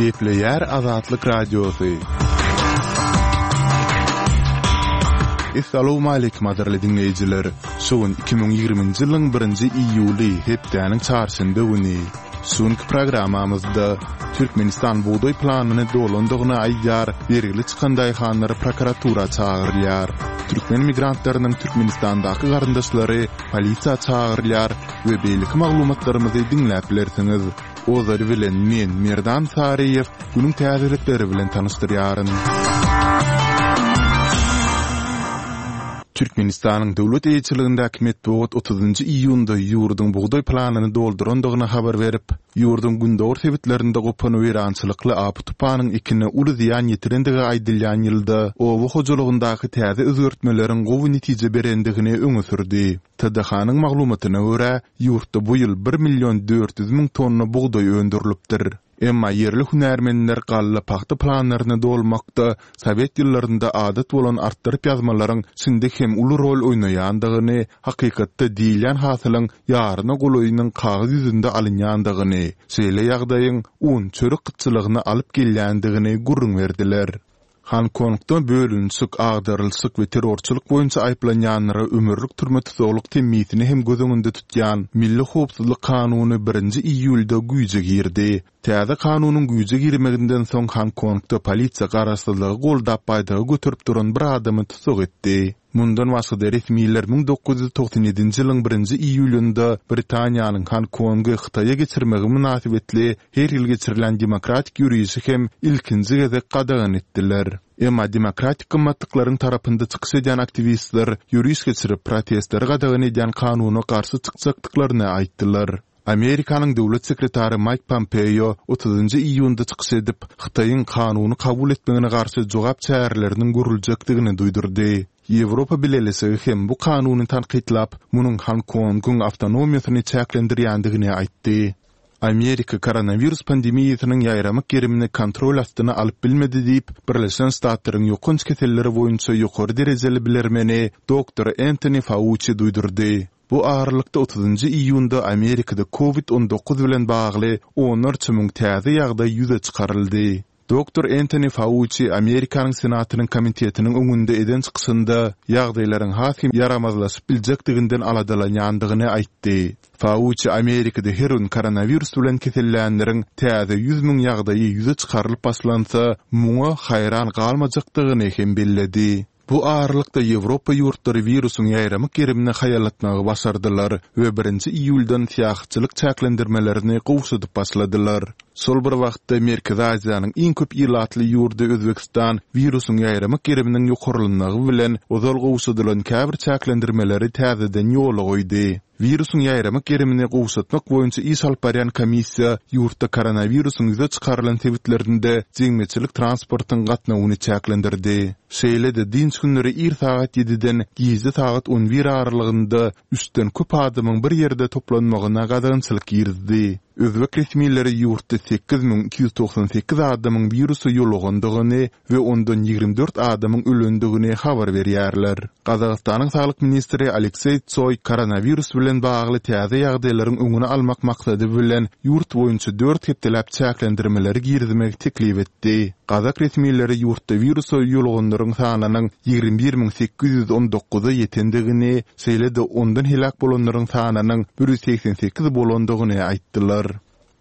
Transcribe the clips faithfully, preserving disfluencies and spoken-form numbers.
Gepleýär Azatlyk Radiosy. Essalawmaleýkim gadyrly diňleýjiler! Şu gün iki müň ýigriminji ýylyň birinji iýuly, hepdäniň çarşenbe güni. Şu günki programmamyzda Türkmenistan bugdaý planyny dolandygyny aýdýar, bergili çykan daýhanlar prokuratura çagyrylýar. Türkmen migrantlarynyň Türkmenistandaky garyndaşlary polisiýa çagyrylýar we beýleki maglumatlarymyzy diňläp bilersiňiz. Ozaly bilen men, Merdan Saryýew, günüň täzelikleri bilen tanyşdyrýaryn. Türkmenistanyň döwlet eýeçiligindäki metbugat otuzynjy iýunda ýurduň bugdaý planyny doldurandygyny habar berip, ýurduň gündogar sebitlerinde gopan weýrançylykly apy-tupanyň ekine uly zyýan ýetirendigi aýdylýan ýylda oba hojalygyndaky täze özgertmeleriň gowy netije berendigini öňe sürdi. TDH-nyň maglumatyna görä, ýurtda bu ýyl bir million dört ýüz müň tonna bugdaý öndürilipdir. Emma ýerli hünärmenler galla pagta planlaryny dolmakda sowet ýyllarynda adat bolan artdyryp ýazmalaryň şindi hem uly rol oýnaýandygyny, hakykatda diýilýän hasylyň ýaryna golaýynyň kagyz ýüzünde alynýandygyny, şeýle ýagdaýyň un, çörek gytçylygyna alyp gelýändigini gürrüň berdiler. Honkongda bölünişik, agdarylyşyk we terrorçylyk boýunça aýyplanýanlara ömürlik türme tussaglyk temmisini hem göz öňünde tutýan Milli howpsuzlyk kanuny birinji iýulda güýje girdi. Täze kanunyň güýje girmeginden soň Honkongda polisiýa garaşsyzlygy goldap baýdagy göterip duran bir adamy tussag etdi. Mundan başga-da resmiler müň dokuz ýüz togsan ýedinji ýylyň birinji iýulynda Britaniýanyň Honkongy Hytaýa geçirmegi mynasybetli her ýyl geçirilýän demokratik ýörişi hem ilkinji gezek gadagan etdiler. Emma demokratik gymmatlyklaryň tarapynda çykyş edýän aktiwistler ýöriş geçirip, protestleri gadagan edýän kanuna garşy çykjakdyklaryny aýtdylar. Amerikanyň döwlet sekretary Maýk Pompeo otuzynjy iýunda çykyş edip, Hytaýyň kanuny kabul etmegine garşy jogap çäreleriniň görüljekdigini duýdurdy. Ýewropa Bileleşigi hem bu kanuny tankytlap, munuň Honkongyň awtonomiýasyny çäklendirýändigini aýtdy. Amerika koronawirus pandemiýasynyň ýaýramak gerimini kontrol astyna alyp bilmedi diýip, Birleşen Ştatlaryň ýokanç keselleri boýunça ýokary derejeli bilermeni doktor Entoni Fauçi duýdurdy. Bu aralykda otuzynjy iýunda Amerikada Covid on dokuz bilen bagly onlarça müň täze ýagdaý ýüze çykaryldy. Doktor Entoni Fauçi Amerikanyň Senatynyň komitetiniň öňünde eden çykyşynda ýagdaýlaryň has hem ýaramazlaşyp biljekdiginden aladalanýandygyny aýtdy. Fauçi Amerikada her gün koronawirus bilen kesellänleriň täze ýüz müň ýagdaýy ýüze çykarylyp başlansa, muňa haýran galmajakdygyny hem belledi. Bu aralykda Ýewropa ýurtlary wirusyň ýaýramak gerimini haýallatmagy başardylar we birinji iýuldan syýahatçylyk çäklendirmelerini gowşadyp başladylar. Şol bir wagtda Merkezi Aziýanyň iň köp ilatly ýurdy Özbegistan wirusyň ýaýramak geriminiň ýokarlanmagy bilen ozal gowşadylan käbir çäklendirmeleri täzeden ýola goýdy. Wirusyň ýaýramak gerimini gowşatmak boýunça iş alyp barýan komissiýa ýurtda koronawirusyň ýüze çykarylan sebitlerinde jemgyýetçilik transportyň gatnawyny çäklendirdi. Şeýle-de dynç günleri ir sagat ýediden gije sagat on bir aralygynda üçden köp adamyň bir ýerde toplanmagyna gadagançylyk girizdi. Özbek resmileri ýurtda sekiz müň iki ýüz togsan sekiz adamyň wirusa ýolugandygyny we ondan ýigrimi dört adamyň ölendigini habar berýärler. Gazagystanyň saglyk ministri Alekseý Tsoý koronawirus bilen bagly täze ýagdaýlaryň öňüni almak maksady bilen ýurt boýunça dört hepdeläp çäklendirmeleri girizmegi teklip etdi. Gazak resmileri ýurtda wirusa ýoluganlaryň sanynyň ýigrimi bir müň sekiz ýüz on dokuza ýetendigini, şeýle-de ondan heläk bolanlaryň sanynyň bir ýüz segsen sekiz bolandygyny aýtdylar.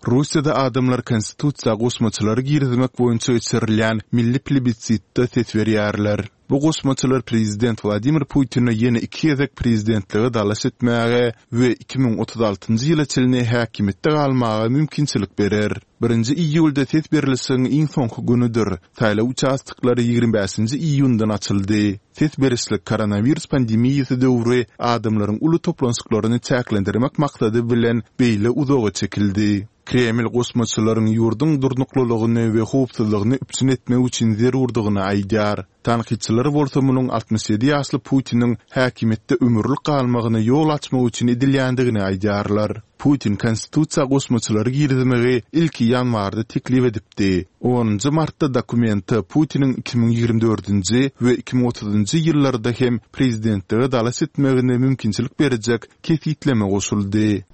Russiýada adamlar konstitusiýa goşmaçalary girizmek boýunça geçirilýän milli plebisitde ses berýärler. Bu goşmaçalar prezident Wladimir Putine ýene iki gezek prezidentlige dalaş etmäge we iki müň otuz altynjy ýyla çenli häkimiýetde galmaga mümkinçilik berer. Birinji iýulda ses berlişigiň iň soňky günüdir. Saýlaw uçastoklary ýigrimi bäşinji iýundan açyldy. Ses berişlik koronawirus pandemiýasy döwri adamlaryň uly toplanyşyklaryny çäklendirmek maksady bilen beýle uzaga çekildi. Kreml goşmaçalaryň ýurduň durnuklylygyny we howpsuzlygyny üpjün etmek üçin zerurdygyny aýdýar. Tankytçylar bolsa munuň altmyş ýedi ýaşly Putiniň häkimiýetde ömürlik galmagyna ýol açmak üçin edilýändigini aýdýarlar. Putin konstitusiýa goşmaçalary girizmegi ilki ýanwarda teklip edipdi. Onunjy martda dokumente Putiniň iki müň ýigrimi dördünji we iki müň otuzynjy ýyllarda hem prezidentlige dalaş etmegine mümkinçilik berjek kesgitleme goşuldy.